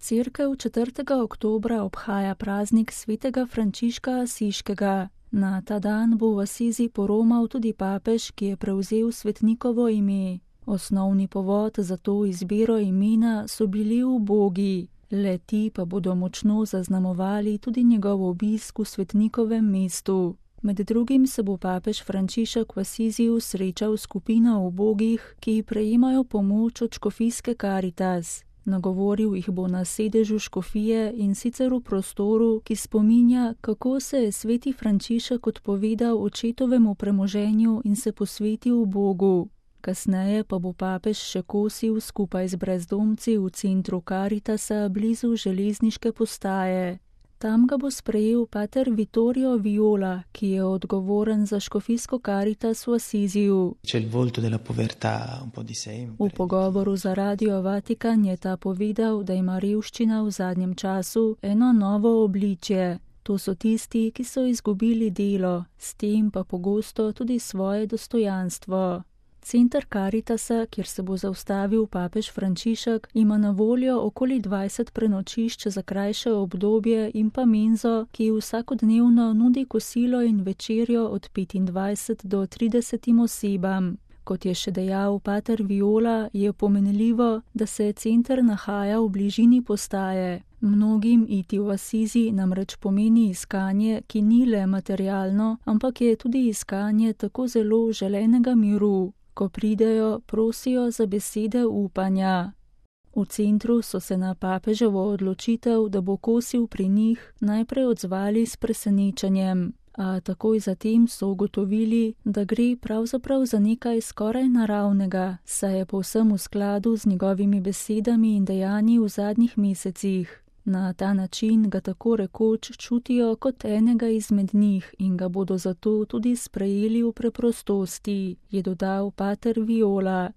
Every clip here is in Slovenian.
Cerkev 4. oktobra obhaja praznik svetega Frančiška Asiškega. Na ta dan bo v Asizi poromal tudi papež, ki je prevzel svetnikovo ime. Osnovni povod za to izbiro imena so bili ubogi. Le-ti pa bodo močno zaznamovali tudi njegov obisk v svetnikovem mestu. Med drugim se bo papež Frančišek v Asiziju srečal s skupino ubogih, ki prejemajo pomoč od škofijske Karitas. Nagovoril jih bo na sedežu škofije in sicer v prostoru, ki spominja, kako se je sveti Frančišek odpovedal očetovemu premoženju in se posvetil Bogu. Kasneje pa bo papež še kosil skupaj z brezdomci v centru Karitasa blizu železniške postaje. Tam ga bo sprejel pater Vittorio Viola, ki je odgovoren za škofijsko Karitas v Asiziju. V pogovoru za Radio Vatikan je ta povedal, da ima revščina v zadnjem času eno novo obličje. To so tisti, ki so izgubili delo, s tem pa pogosto tudi svoje dostojanstvo. Center Karitasa, kjer se bo zaustavil papež Frančišek, ima na voljo okoli 20 prenočišč za krajše obdobje in pa menzo, ki vsakodnevno nudi kosilo in večerjo od 25 do 30 osebam. Kot je še dejal pater Viola, je pomenljivo, da se center nahaja v bližini postaje. Mnogim iti v Asizi namreč pomeni iskanje, ki ni le materialno, ampak je tudi iskanje tako zelo želenega miru. Ko pridejo, prosijo za besede upanja. V centru so se na papeževo odločitev, da bo kosil pri njih, najprej odzvali s presenečenjem, a takoj zatem so ugotovili, da gre pravzaprav za nekaj skoraj naravnega, saj je povsem v skladu z njegovimi besedami in dejanji v zadnjih mesecih. Na ta način ga tako rekoč čutijo kot enega izmed njih in ga bodo zato tudi sprejeli v preprostosti, je dodal pater Viola.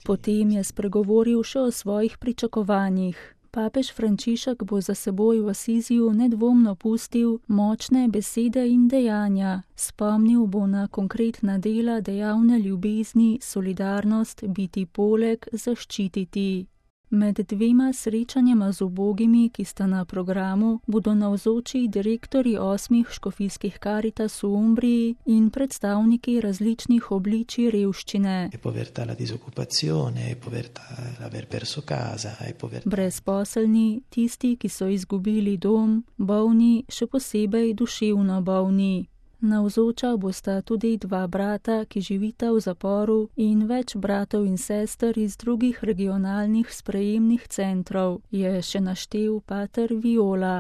Potem je spregovoril še o svojih pričakovanjih. Papež Frančišek bo za seboj v Asiziju nedvomno pustil močne besede in dejanja. Spomnil bo na konkretna dela dejavne ljubezni, solidarnost, biti poleg, zaščititi. Med dvema srečanjema z ubogimi, ki sta na programu, bodo navzoči direktorji 8 škofijskih Karitas v Umbriji in predstavniki različnih obličij revščine. Brezposelni, tisti, ki so izgubili dom, bolni, še posebej duševno bolni. Navzoča bosta tudi 2 brata, ki živita v zaporu, in več bratov in sester iz drugih regionalnih sprejemnih centrov, je še naštel pater Viola.